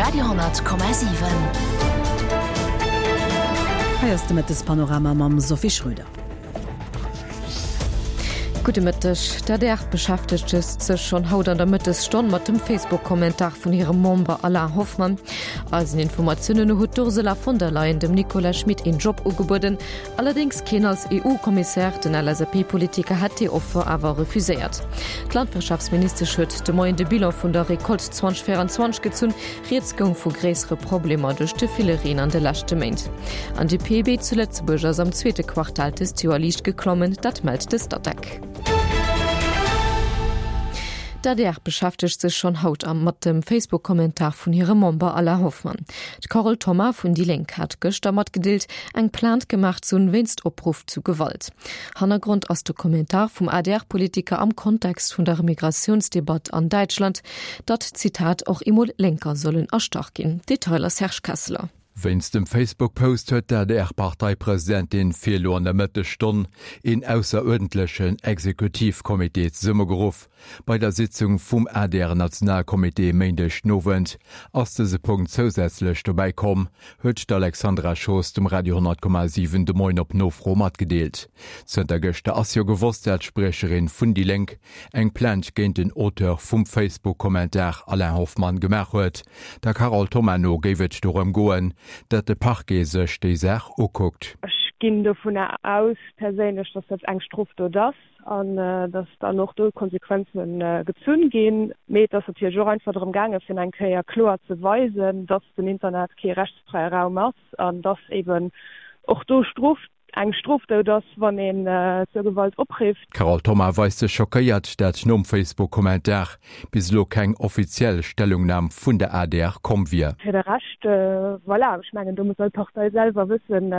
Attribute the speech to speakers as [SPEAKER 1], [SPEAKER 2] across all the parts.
[SPEAKER 1] Radio,7.
[SPEAKER 2] Hei ass de Mëttespanorama mam Sophie Schröder.
[SPEAKER 3] Gudde Mëtteg. D'adr beschäftegt sech schonn haut an der Mëttesstonn mat dem Facebook-Kommentar vun hirem Member Alain Hoffmann. Eisen Informatiounen no huet d'Ursula von der Leyen dem Nicolas Schmit een Job ugebueden, Allerdéngs keen als EU-Kommissär, den LSAP-Politiker hätt déi Offer awer refuséiert. D'Landwirtschaftsministesch huet de Moien de Bilan vun der Recolte 2024 gezunn. Rieds goung vu gréissere Problemer duerch de ville Reen an de leschte Méint. An de PIB zu Lëtzebuerg ass am zweete Quartal dëst Joer liicht geklommen, dat mellt de Statec. D'adr beschäftegt sech schonn haut am mat dem Facebook-Kommentar vun hirem Member Alain Hoffmann. D'Carole Thoma vun déi Lénk hat gëschter matgedeelt, eng Plainte gemaach ze hunn wéinst Opruff zu Gewalt. Hannergrond ass de Kommentar vum ADR-Politiker am Kontext vun der Migratiounsdebatt an Däitschland, datt, Zitat, och emol Lénker sollen erstach ginn. Detailer Serge Kesseler.
[SPEAKER 4] Wéinst dem Facebook-Post huet d'ADR-Parteipresidentin fir elo an der Mëttesstonn een ausseruerdentlechen Exekutivcomité zesummegeruff. Bei der Sitzung vum ADR-Nationalcomité e Méindeg den Owend ass dëse Punkt zousätzlech dobäi komm, huet d'Alexandra Schoos dem Radio 10,7 de Moien op Nofro matgedeelt. Zënter gëschter ass jo gewosst, dat d'Spriecherin vun déi Lénk eng Plainte géint den Auteur vum Facebook-Kommentar Alain Hoffmann gemaach huet. Der Carole Thoma no géif et dorëm goen, dat de Parquet sech déi Saach ukuckt.
[SPEAKER 5] Ech ginn dovunner aus perséinlech, datt dat eng Strofdot ass. an datt dann och do Konsequenze gezunn ginn. Mee et ass natierlech och einfach drëm gaangen, fir eng Kéier kloer ze weisen, datt den Internet kee rechtsfräie Raum ass an datt eeben och do Strof, eng Strofdot ass, wann een zur Gewalt oprifft.
[SPEAKER 4] D'Carole Thoma weist sech schockéiert, dat nom Facebook-Kommentar bis elo keng offiziell Stellungnam vun der adr komm wier.
[SPEAKER 5] Fir de Rescht, voilà, ech mengen, do muss all Partei selwer wëssen,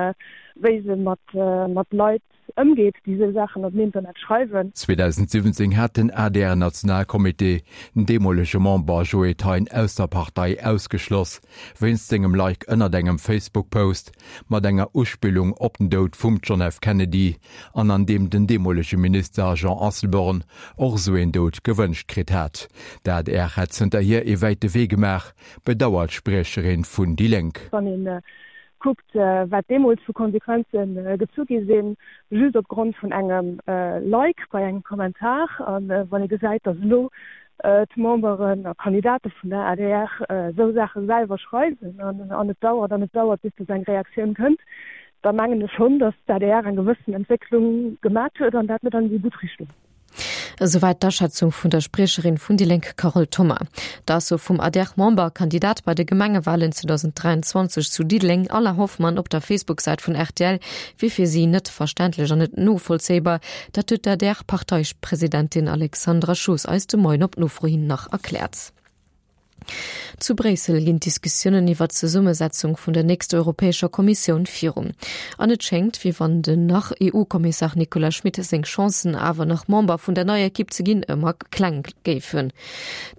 [SPEAKER 5] wéi se mat Leit Ëmgeet, déi esou Saachen op den Internet schreiwen.
[SPEAKER 4] 2017 hat den ADR-Nationalcomité den deemolege Member Joe Thein aus der Partei ausgeschloss, wéinst sengem Like ënnert engem Facebook-Post mat enger Uspillung op den Doud vum John F. Kennedy an an deem den deemolege Minister Jean Asselborn och esou een Doud gewënscht kritt hat. D'adr hätt zënterhier ee wäite Wee gemaach, bedauert d'Spriecherin vun déi Lénk.
[SPEAKER 5] Wann een Kuckt, wat deemools vu Konsequenze gezu gi sinn, just op Grond vun engem Like bei engem Kommentar. A wann ee gesäit, datt elo d'Memberen a Kandidate vun der adr esou Saache selwer schreiwen an et dauert an et dauert, bis datt eng Reaktioun kënnt, da mengen ech schonn, datt d'adr eng gewëssen Entwécklung gemat huet an dat net an déi gutt Richtung.
[SPEAKER 3] Esouwäit d'Aschätzung vun der Spriecherin vun déi Lénk Carole Thoma. D'Ausso vum ADR-Member a Kandidat bei de Gemengewalen 2023 zu Diddeleng, Alain Hoffmann, op der Facebook-Säit vun rtl wier fir si net verständlech an net novollzéibar. Dat huet d'ADR-Parteipresidentin Alexandra Schoos eis de Moien op Nofro hin nach erkläert. Zu Bréissel ginn d'Diskussiounen iwwer d'Zesummesetzung vun der nächster Europäescher Kommissioun virun. An et schéngt, wéi wann den Nach-EU-Kommissar Nicolas Schmit seng Chancen, awer nach Member vun der neier Ekipp ze ginn, ëmmer kleng géifen.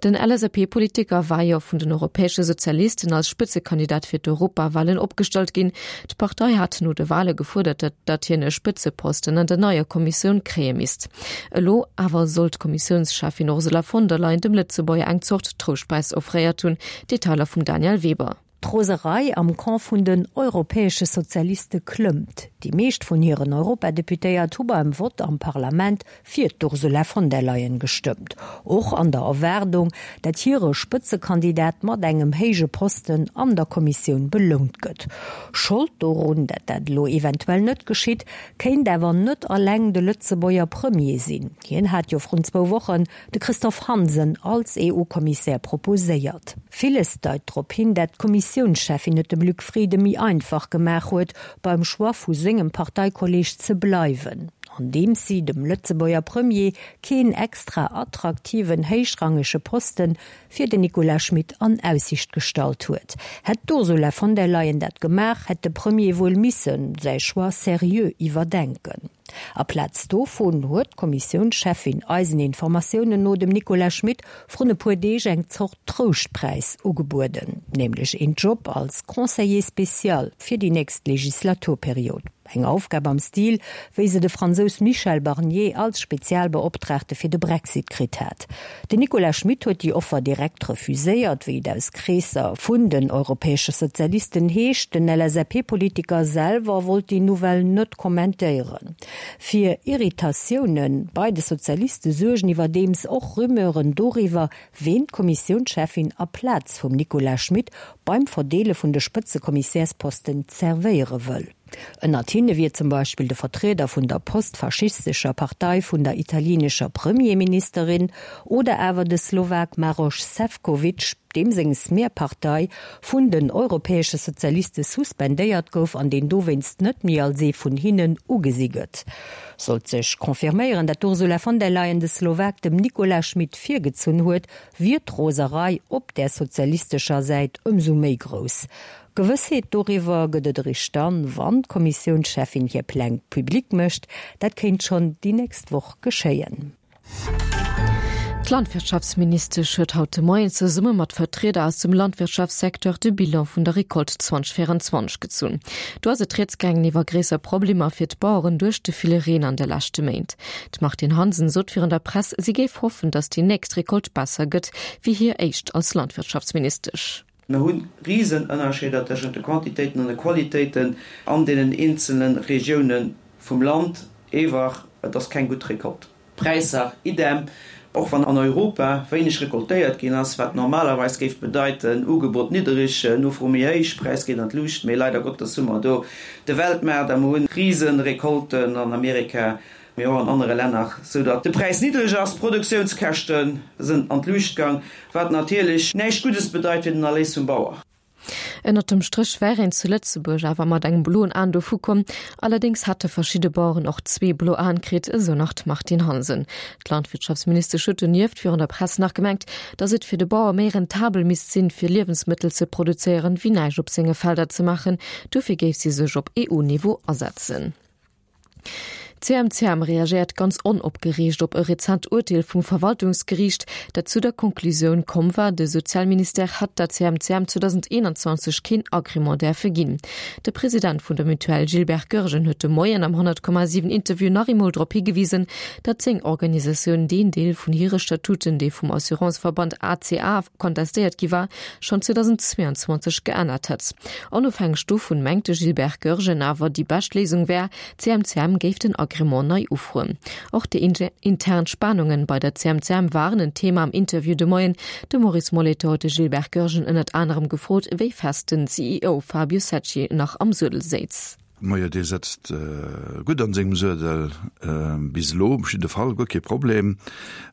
[SPEAKER 3] Den LSAP-Politiker war jo vun den europäesche Sozialisten als Spëtzekandidat fir d'Europawalen opgestallt ginn. D'Partei hat no de Wale gefuerdert, datt hien e Spëtzeposten an der neier Kommissioun kréie misst. Elo awer soll d'Kommissiounscheffin Ursula von der Leyen dem Lëtzebuerger eng Zort Trouschtpräis offréiert hunn. Detailer vum Danièle Weber.
[SPEAKER 6] D'Roserei am Camp vun den europäesche Sozialiste klëmmt. Déi meescht vun hiren Europadeputéiert hu beim Vott am Parlament fir d'Ursula von der Leyen gestëmmt, och an der Erwaardung, dat hire Spëtzekandidat mat engem héije Posten an der Kommissioun belount gëtt. Schold dorun, dat dat elo eventuell net geschitt, Kéint awer net alleng de Lëtzebuerger Premier sinn. Hien hat jo vrun zwou Wochen de Christophe Hansen als EU-Kommissär proposéiert. Villes deit drop hin, dat d'Kommissiounscheffin et dem Luc Frieden méi einfach gemaach huet, beim Choix vu sengem Parteikolleeg ze bleiwen, andeems si dem Lëtzebuerger Premier keen extra attraktiven héichrangege Posten fir den Nicolas Schmit an Aussicht gestallt huet. Hätt d'Ursula von der Leyen dat gemaach, hätt de Premier wuel misse säi Choix seriö iwwerdenken. Aplaz dovun huet d'Kommissiounscheffin eisen Informatiounen no dem Nicolas Schmit vrun e puer Deeg eng Zort Trouschtpräis ugebueden, nämlech een Job als Conseiller spécial fir déi nächst Legislaturperiod. Eng Aufgab am Stil, wéi se de Fransous Michel Barnier als Spezialbeoptraagte fir de Brexit kritt hat. Den Nicolas Schmit huet déi Offer direkt refuséiert, wéi et aus Kreesser vun den europäesche Sozialisten heescht. Den LSAP-Politiker selwer wollt déi Nouvelle net kommentéieren. Fir Irritatioune bei de Sozialiste suergen iwwerdeems och Rumeuren doriwwer, ween d'Kommissiounscheffin aplaz vum Nicolas Schmit beim Verdeele vun de Spëtzekommissärsposten zerwéiere wëll. Ënnert hinne wier zum Beispill de Vertrieder vun der postfaschistescher Partei vun der italienescher Premierministerin oder awer de Slowak Maroš Sefcovic, deem seng Smer-Partei vun den europäesche Sozialiste suspendéiert gouf an deen dowéinst net méi als ee vun hinnen ugesi gëtt. Sollt sech confirméieren, dat d'Ursula von der Leyen de Slowak dem Nicolas Schmit virgezunn huet, wier d'Roserei op där sozialistescher Säit ëmsou méi grouss. Gewëssheet doriwwer gëtt et eréischt dann, wann d'Kommissiounscheffin hir Pläng public mécht. Dat kéint schonn déi nächst Woch geschéien.
[SPEAKER 3] D'Landwirtschaftsministesch huet haut de Moien zesumme mat Vertrieder aus dem Landwirtschaftssecteur de Bilan vun der Recolte 2024 gezunn. Do ass et rieds gaangen iwwer gréisser Problemer fir d'Baueren duerch de ville Reen an de leschte Méint. D'Martine Hansen sot virun der Press, si géif hoffen, datt déi nächst Recolte besser gëtt wéi hir éischt als Landwirtschaftsministesch.
[SPEAKER 1] Mir hu Risenënnerscheeder tëschent de Quantitéiten an de Qualitéiten an deenen eenzele Regioune vum Land. Ewer, et ass keng gutt Recolte. Präisser idem, och wann an Europa wéineg recoltéiert ginn ass, wat normalerweis géif bedeiten, Ugebot niddereg, Nofro méi héich, Präis geet an d'Luucht. Mee leider Gottes hu mer do de Weltmaart a mer hu Risenrecolten an Amerika, mee och an anere Länner, sou datt de Präis niddreg ass, d'Produktiounskäschte sënn an d'Luucht gang, wat natierlech näischt Guddes bedeit fir den Erléis vum Bauer.
[SPEAKER 3] Ënnert dem Stréch wär een zu Lëtzebuerg awer mat engem bloen Aen dovu komm. Allerdéngs hätte verschidde Baueren och zwee blo Aen kritt, esou nach d'Martine Hansen. D'Landwirtschaftsministesch huet donieft virun der Press nach gemengt, datt et fir de Bauer méi rentabel misst sinn, fir Liewensmëttel ze produzéieren, wéi näischt op senge Felder ze maachen. Dofir géif si sech op EU-Niveau asetzen. D'CMCM reagéiert ganz onopgereegt op e rezent Urteel vum Verwaltungsgeriicht, dat zu der Konklusioun komm war, de Sozialministère hätt der CMCM 2021 keen Agrément däerfe ginn. De President vun der Mutuelle Gilbert Goergen huet de Moien am 100,7 Interview nach eemol drop higewisen, datt seng Organisatioun deen Deel vun hire Statuten, dee vum Assuranceverband ACA kontestéiert gi war, schonn 2022 geännert hätt. Onofhängeg dovun mengt de Gilbert Goergen awer, déi bescht Léisung wär, d'CMCM géif den Agrément nei ufroen. Och déi intern Spanungen bei der CMCM waren en Thema am Interview de Moien. De Maurice Molitor huet de Gilbert Goergen ënnert anerem gefrot, wéi fest den CEO Fabio Secci nach am Suedel séiz.
[SPEAKER 7] Majo, dee sëtzt gutt an sengem Suedel, bis elo op jidde Fall, guer kee Problem.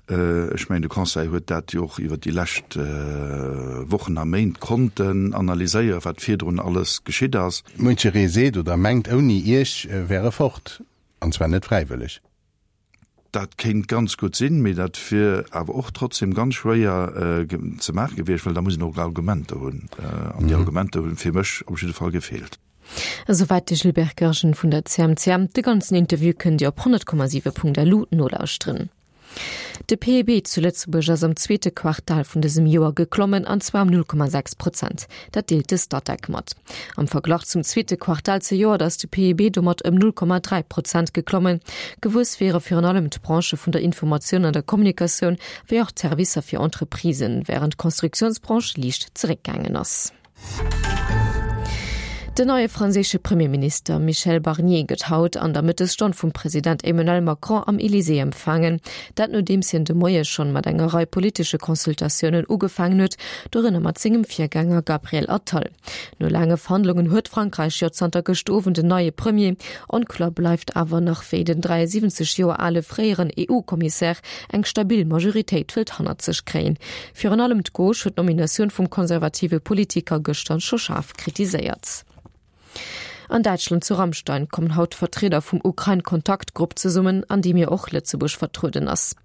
[SPEAKER 7] Ech mengen, de Conseil huet dat jo och iwwert déi lescht Wochen a Méint konnten analyséieren, wat virdrun alles geschitt ass.
[SPEAKER 8] Muncheree seet oder mengt, ouni Iech wär e fort, an zwar net fräiwëlleg.
[SPEAKER 7] Dat kéint ganz gutt sinn, mee dat wier awer och trotzdem ganz schwéier ze maache gewiescht, well da muss een och Argumenter hunn. An déi Argumenter hu fir mech op jidde Fall gefeelt.
[SPEAKER 3] Esouwäit de Gilbert Goergen vun der CMCM. De ganzen Interview kënnt Dir op 100,7.lu nolauschteren. De PIB zu Lëtzebuerg ass am zweete Quartal vun dësem Joer geklommen, an zwar ëm 0,6 Prozent. Dat deelt de Statec mat. Am Verglach zum zweete Quartal zejoert ass de PIB domat ëm 0,3 Prozent geklommen. Gewuess wiere virun allem d'Branchë vun der Informatioun an der Kommunikatioun, wéi och d'Servicer fir Entreprisen, wärend d'Konstruktiounsbranche liicht zeréckgaangen ass. Den neie franséische Premierminister Michel Barnier gëtt haut an der Mëttesstonn vum President Emmanuel Macron am Elysée empfaangen. Dat nodeems hien de Moie schonn mat enger Rei politesche Consultatiounen ugefaangen huet, dorënner mat sengem Virgänger Gabriel Attal. No laange Verhandlungen huet Frankräich jo zanter gëscht Owend en neie Premier. Onkloer bleift awer nach, wéi den 73 Joer ale fréieren EU-Kommissär eng stabil Majoritéit wëllt hannert sech kréien. Virun allem d'Gauche huet d'Nominatioun vum konservative Politiker gëschter scho schaarf kritiséiert. An Däitschland zu Ramstein kommen haut d'Vertrieder vum Ukrain-Kontaktgrupp zesummen, an deem jo och Lëtzebuerg vertrueden ass.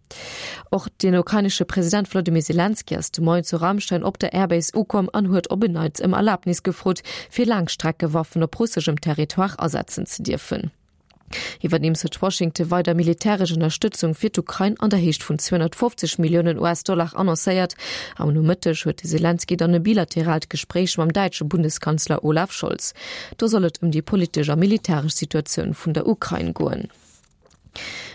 [SPEAKER 3] Och den ukrainesche President Wladimir Selenskyj ass de Moien zu Ramstein op der Airbase ukomm an huet op en Neits ëm Erlabnis gefrot, fir Laangstreckewaffen op russeschem Territoire asetzen ze dierfen. Iwwerdeems huet Washington weider militäresch Ënnerstëtzung fir d'Ukrain an der Héicht vun 250 Milliounen US-Dollar annoncéiert. Am Nomëtteg huet de Selenskyj dann e bilateraalt Gespréich mam däitsche Bundeskanzler Olaf Scholz. Do soll et ëm déi politesch a militäresch Situatioun vun der Ukrain goen.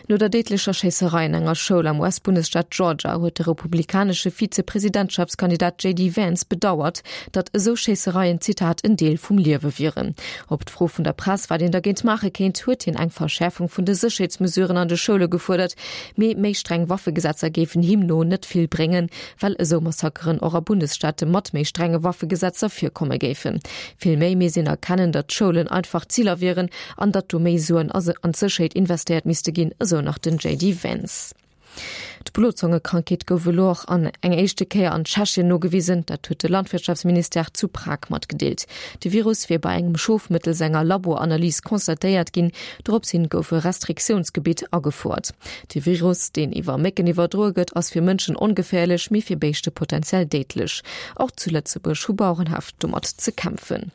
[SPEAKER 3] No der déidlecher Schéisserei an enger Schoul am US-Bundesstaat Georgia huet de republikanesche Vize-Presidentschaftskandidat JD Vance bedauert, datt esou Schéissereien, Zitat, en Deel vum Liewe wieren. Op d'Fro vun der Press, wat een dergéint maache kéint, huet hien eng Verschäerfung vun de Sécherheetsmesuren an de Schoule gefuerdert. Mee méi streng Waffegesetzer géifen him no net vill bréngen, well esou Massakeren och a Bundesstaate mat méi strenge Waffegesetzer virkomme géifen. Vill méi misst een erkennen, datt d'Schoulen einfach Ziler wieren an datt do méi Suen an d'Sécherheet investéiert misste ginn, esou nach den JD Vance. D'Blozongekrankheet gouf elo och an eng éischte Kéier an Tschechien nogewisen. Dat huet de Landwirtschaftsministère zu Prag matgedeelt. De Virus wier bei engem Schof mëttels enger Laboranalys constatéiert ginn. Dorops hin gouf e Restriktiounsgebitt agefouert. De Virus, deen iwwer Mécken iwwerdroe gëtt, ass fir Mënschen ongeféierlech, mee fir Béischte potenziell déidlech. Och zu Lëtzebuerg hu Bauerenhäff domat ze kämpfen.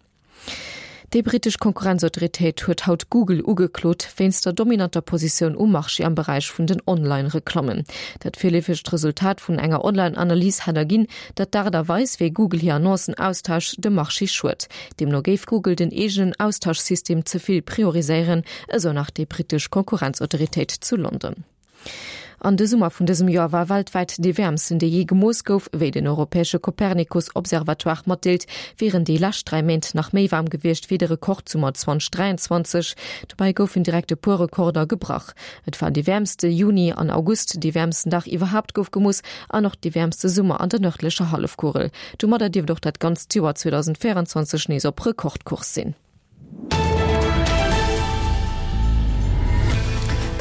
[SPEAKER 3] Déi brittesch Konkurrenzautoritéit huet haut Google ugeklot wéinst der dominanter Positioun um Marché am Beräich vun den Online-Reklammen. Dat virleefegt Resultat vun enger Online-Analys hätt erginn, datt d'Aart a Weis, wéi Google hir Annoncen austauscht, dem Marché schued. Deemno géif Google den eegenen Austauschsystem ze vill prioriséieren, esou nach déi brittesch Konkurrenzautoritéit zu London. An de Summer vun dësem Joer war weltwäit dee wäermsten, dee jee gemooss gouf. Wéi den europäesche Copernicus-Observatoire matdeelt, wieren déi lescht 3 Méint nach méi waarm gewiescht wéi de Rekordsummer 2023. Dobäi goufen direkt e puer Rekorder gebrach. Et war dee wäermste Juni an August, dee wäermsten Dag iwwerhaapt gouf gemooss an och dee wäermste Summer an der nërdlecher Hallefkugel. Domadder dierft och dat ganzt Joer 2024 nees op Rekordkurs sinn.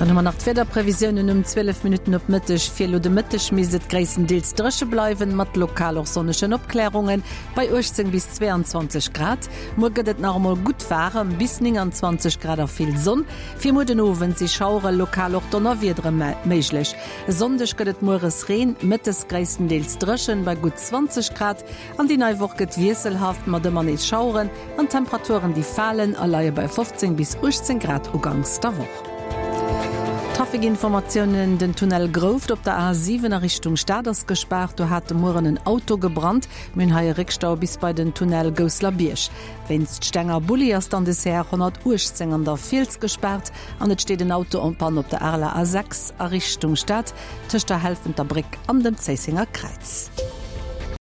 [SPEAKER 2] Dann hu mer nach d'Wiederprevisiounen um 12 Minutten op Mëtteg. Fir elo de Mëtteg misst et gréisstendeels dréche bleiwen, mat lokal och sonnegen Opklärungen, bei 18 bis 22 Grad. Muer gëtt et nach emol gutt waarem, bis 29 Grad a vill Sonn. Fir muer den Owend si Schaueren, lokal och Donnerwiedere méiglech. E Sonndeg gëtt et mueres Reen, mëttes gréisstendeels dréchen, bei gutt 20 Grad. An déi nei Woch gëtt wiesselhaft, mat ëmmer nees Schaueren an Temperaturen, déi falen a leie bei 15 bis 18 Grad uganks der Woch. Trafikinformatiounen, Den Tunnel Grouft op der A7 a Richtung Stad ass gespaart. Do hat de Mueren en Auto gebrannt. Mir hunn hei e Réckstau bis bei den Tunnel Gousselerbierg. Wéinst Steng a Bulli ass dann de CR 118 an der Fiels gespaart an et steet en Auto en panne op der Areler A6 a Richtung Stad tëscht der Helfenterbréck an dem Zéissenger Kräiz.